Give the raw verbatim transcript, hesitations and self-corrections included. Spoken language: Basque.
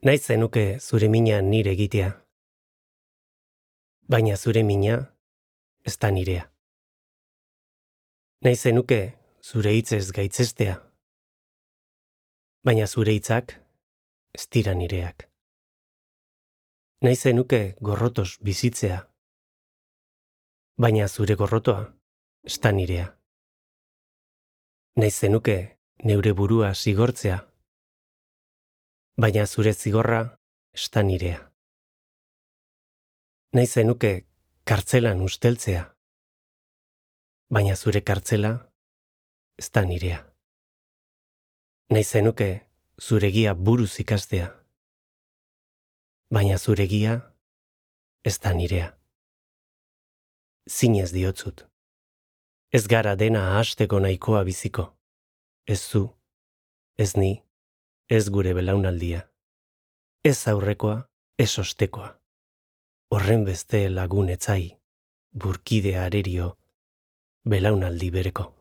Nahi zenuke zure mina nire egitea, baina zure mina ez da nirea. Nahi zenuke zure hitzez gaitzestea, baina zure hitzak ez dira nireak. Nahi zenuke gorrotos bizitzea, baina zure gorrotoa ez da nirea. Nahi zenuke neure burua zigortzea, baina zure zigorra ez da nirea. Nahi zenuke kartzelan usteltzea, baina zure kartzela ez da nirea. Nahi zenuke zure gia buruz ikastea, baina zure gia ez da nirea. Zinez diotzut. Ez gara dena ahasteko nahikoa biziko. Ez zu, ez ni, ez gure belaunaldia. Ez aurrekoa, ez ostekoa. Horren beste lagun etzai, burkide arerio, belaunaldi bereko.